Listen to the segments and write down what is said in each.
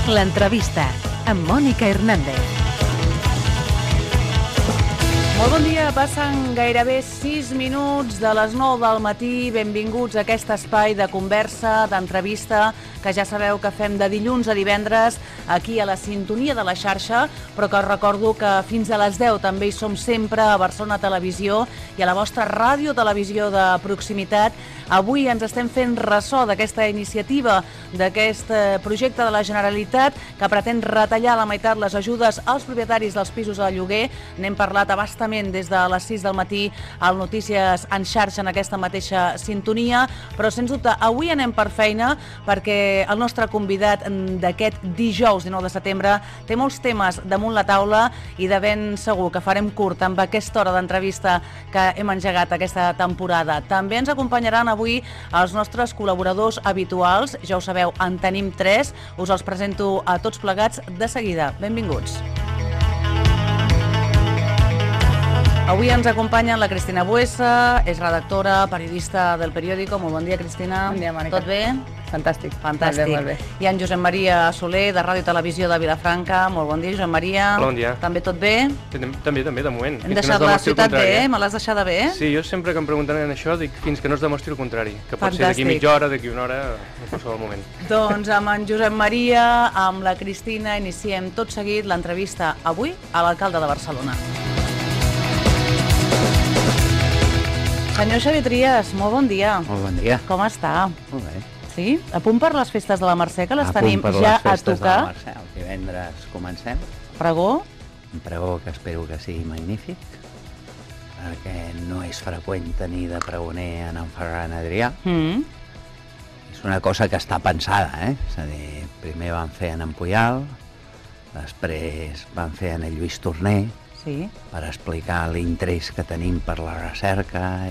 L'entrevista amb Mònica Hernández. Molt bon dia, passen gairebé 6 minuts de les 9 del matí. Benvinguts a aquest espai de conversa, d'entrevista, que ja sabeu que fem de dilluns a divendres aquí a la sintonia de la xarxa, però que us recordo que fins a les 10 també hi som sempre a Barcelona Televisió i a la vostra ràdio-televisió de proximitat. Avui ens estem fent ressò d'aquesta iniciativa, d'aquest projecte de la Generalitat que pretén retallar a la meitat les ajudes als propietaris dels pisos de lloguer. N'hem parlat a bastament des de les 6 del matí al Notícies en xarxa en aquesta mateixa sintonia, però sens dubte avui anem per feina perquè el nostre convidat d'aquest dijous 19 de setembre té molts temes damunt la taula i de ben segur que farem curt amb aquesta hora d'entrevista que hem engegat aquesta temporada. També ens acompanyaran avui els nostres col·laboradors habituals, ja ho sabeu, en tenim 3, us els presento a tots plegats de seguida. Benvinguts. Avui ens acompanyen la Cristina Buesa, és redactora, periodista del periòdico. Molt bon dia, Cristina. Bon dia, Mònica. Tot bé? Fantàstic. Fantàstic. Molt bé. I en Josep Maria Soler, de Ràdio i Televisió de Vilafranca. Molt bon dia, Josep Maria. Hola, bon dia. També tot bé? També, de moment. Hem deixat la ciutat bé, me l'has deixada bé? Sí, jo sempre que em pregunten això dic fins que no es demostri el contrari, que pot Fantàstic. ser d'aquí mitja hora, d'aquí una hora, en qualsevol moment. Doncs amb en Josep Maria, amb la Cristina, iniciem tot seguit l'entrevista avui a l'alcalde de Barcelona. Senyor Xavier Trias, molt bon dia. Molt bon dia. Com està? Molt bé. Sí? A punt per les festes de la Mercè, que les tenim ja a tocar. El divendres comencem. Pregó? Un pregó que espero que sigui magnífic, perquè no és freqüent tenir de pregoner en Ferran Adrià. És una cosa que està pensada, És a dir, primer van fer en Puyal, després van fer en Lluís Torner, Sí. per explicar l'interès que tenim per la recerca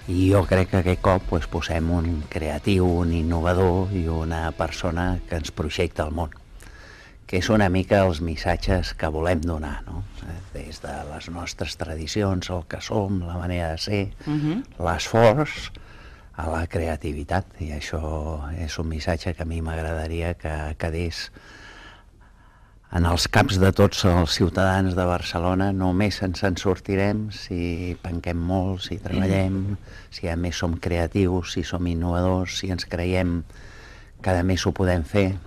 i jo crec que aquest cop posem un creatiu, un innovador i una persona que ens projecta el món, que és una mica els missatges que volem donar, no? Des de les nostres tradicions, el que som, la manera de ser, l'esforç a la creativitat, i això és un missatge que a mi m'agradaria que quedés en els caps de tots els ciutadans de Barcelona. Només ens en sortirem si penquem molt, si treballem, si a més som creatius, si som innovadors, si ens creiem que a més ho podem fer.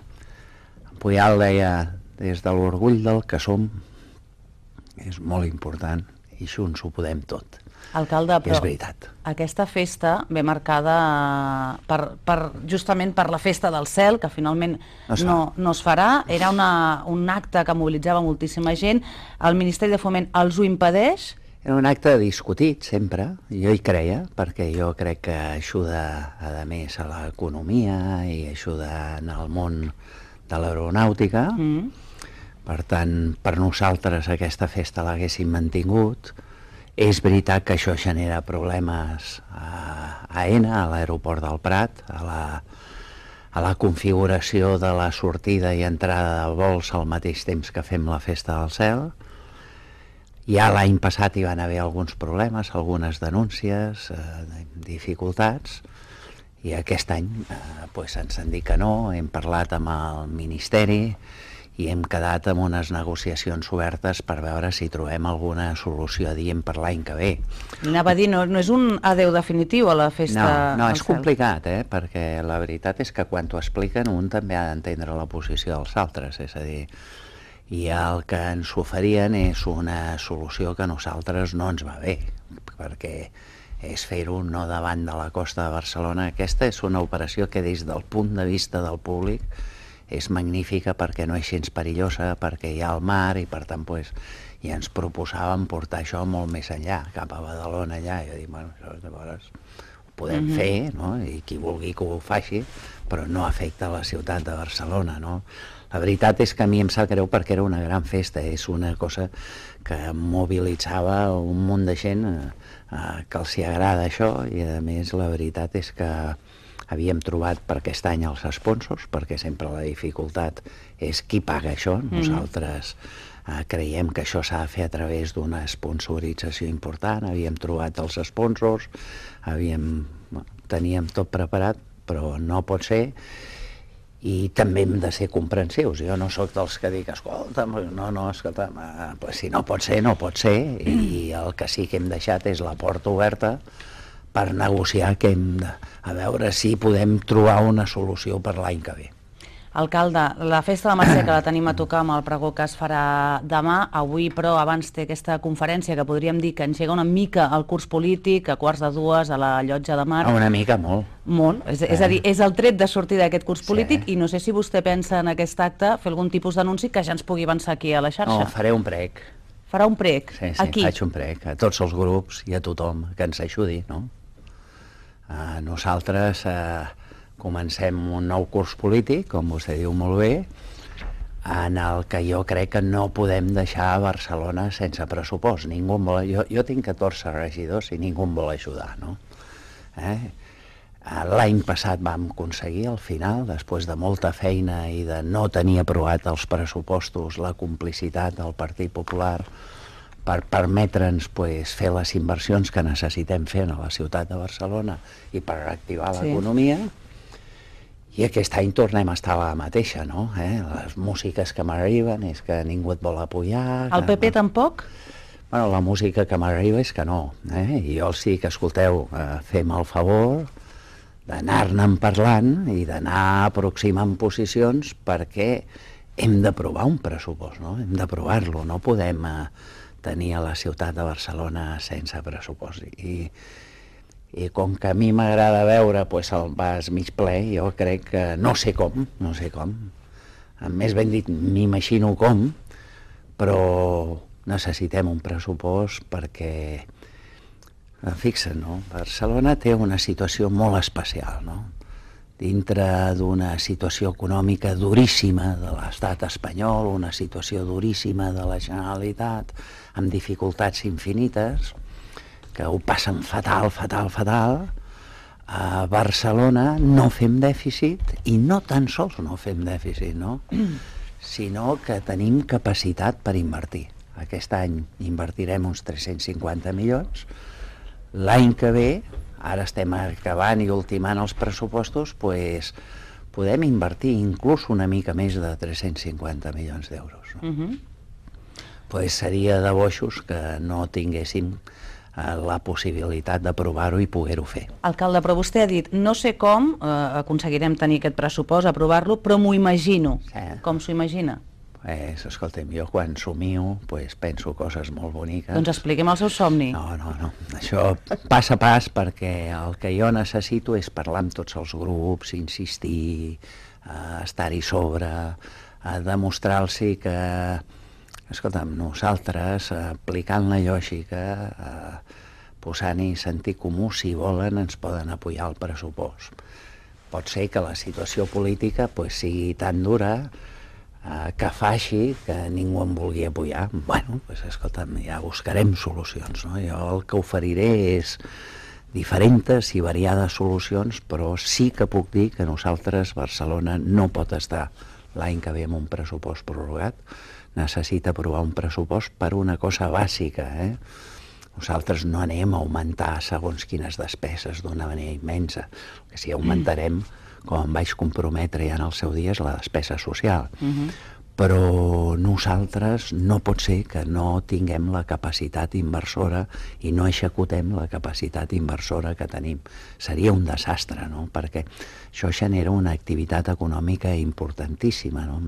Puyal deia, des de l'orgull del que som, és molt important, i junts ho podem tot. Alcalde, I però és veritat. aquesta festa ve marcada justament per la festa del cel, que finalment no es farà. Era un acte que mobilitzava moltíssima gent. El Ministeri de Foment els ho impedeix? Era un acte discutit sempre, jo hi creia, perquè jo crec que ajuda a més a l'economia i ajuda en el món de l'aeronàutica. Per tant, per nosaltres aquesta festa l'haguéssim mantingut. És veritat que això genera problemes a AENA, a l'aeroport del Prat, a la configuració de la sortida i entrada de vols al mateix temps que fem la festa del cel. Ja l'any passat hi van haver alguns problemes, algunes denúncies, dificultats, i aquest any ens han dit que no, hem parlat amb el Ministeri i hem quedat amb unes negociacions obertes per veure si trobem alguna solució adient per l'any que ve. Anava a dir, no és un adeu definitiu a la festa No, del és cel. complicat, perquè la veritat és que quan t'ho expliquen un també ha d'entendre la posició dels altres, és a dir, i el que ens oferien és una solució que a nosaltres no ens va bé, perquè és fer-ho no davant de la costa de Barcelona. Aquesta és una operació que des del punt de vista del públic és magnífica perquè no és gens perillosa, perquè hi ha el mar i per tant i ens proposàvem portar això molt més enllà, cap a Badalona allà, i jo dic, bueno, llavors ho podem fer, no? I qui vulgui que ho faci, però no afecta la ciutat de Barcelona, no? La veritat és que a mi em sap greu perquè era una gran festa, és una cosa que mobilitzava un munt de gent que els hi agrada això, i a més la veritat és que havíem trobat per aquest any els sponsors, perquè sempre la dificultat és qui paga això. Nosaltres creiem que això s'ha de fer a través d'una sponsorització important, havíem trobat els sponsors, teníem tot preparat, però no pot ser, i també hem de ser comprensius. Jo no sóc dels que dic, escolta, pues si no pot ser, no pot ser, i el que sí que hem deixat és la porta oberta per negociar a veure si podem trobar una solució per l'any que ve. Alcalde, la festa de Mercè que la tenim a tocar amb el pregó que es farà demà, avui però abans té aquesta conferència que podríem dir que engega una mica el curs polític, a 1:45 a la Llotja de Mar. Una mica, molt. Molt, és a dir, és el tret de sortida d'aquest curs polític i no sé si vostè pensa en aquest acte fer algun tipus d'anunci que ja ens pugui avançar aquí a la xarxa. No, faré un prec. Farà un prec? Sí, Aquí? faig un prec a tots els grups i a tothom que ens ajudi, no? Nosaltres comencem un nou curs polític, com vostè diu molt bé, en el que jo crec que no podem deixar Barcelona sense pressupost. Ningú em vol... Jo tinc 14 regidors i ningú em vol ajudar, no? L'any passat vam aconseguir, al final, després de molta feina i de no tenir aprovat els pressupostos, la complicitat del Partit Popular per permetre'ns fer les inversions que necessitem fer a la ciutat de Barcelona i per reactivar l'economia. I aquest any tornem a estar a la mateixa, no? Les músiques que m'arriben és que ningú et vol apoyar... El PP tampoc? Bueno, la música que m'arriba és que no. I jo sí que, escolteu, fem el favor d'anar-ne parlant i d'anar aproximant posicions perquè hem d'aprovar un pressupost, no? Hem d'aprovar-lo, no podem tenir a la ciutat de Barcelona sense pressupost. I com que a mi m'agrada veure el vas mig ple, jo crec que no sé com. Més ben dit, m'imagino com, però necessitem un pressupost perquè, fixa't, no? Barcelona té una situació molt especial, no? Dintre d'una situació econòmica duríssima de l'estat espanyol, una situació duríssima de la Generalitat, amb dificultats infinites, que ho passen fatal. A Barcelona no fem dèficit, i no tan sols no fem dèficit, no? Sinó que tenim capacitat per invertir. Aquest any invertirem uns 350 milions. L'any que ve, ara estem acabant i ultimant els pressupostos, podem invertir inclús una mica més de 350 milions d'euros. Seria de boixos que no tinguéssim la possibilitat d'aprovar-ho i poder-ho fer. Alcalde, però vostè ha dit, no sé com aconseguirem tenir aquest pressupost, aprovar-lo, però m'ho imagino. Com s'ho imagina? Escolta'm, jo quan somio penso coses molt boniques. Doncs expliquem el seu somni. No. Això pas a pas, perquè el que jo necessito és parlar amb tots els grups, insistir, estar-hi sobre, demostrar-los que, escolta'm, nosaltres, aplicant la lògica, posant-hi sentit comú, si volen, ens poden apoyar el pressupost. Pot ser que la situació política sigui tan dura que faci que ningú em vulgui apoyar. Bueno, escolta'm, ja buscarem solucions, no? Jo el que oferiré és diferents i variades solucions, però sí que puc dir que nosaltres, Barcelona, no pot estar l'any que ve amb un pressupost prorrogat. Necessita aprovar un pressupost per una cosa bàsica. Nosaltres no anem a augmentar segons quines despeses d'una manera immensa. El que sí augmentarem, com em vaig comprometre ja en el seu dia, és la despesa social. Però nosaltres no pot ser que no tinguem la capacitat inversora i no executem la capacitat inversora que tenim. Seria un desastre, no? Perquè això genera una activitat econòmica importantíssima, no?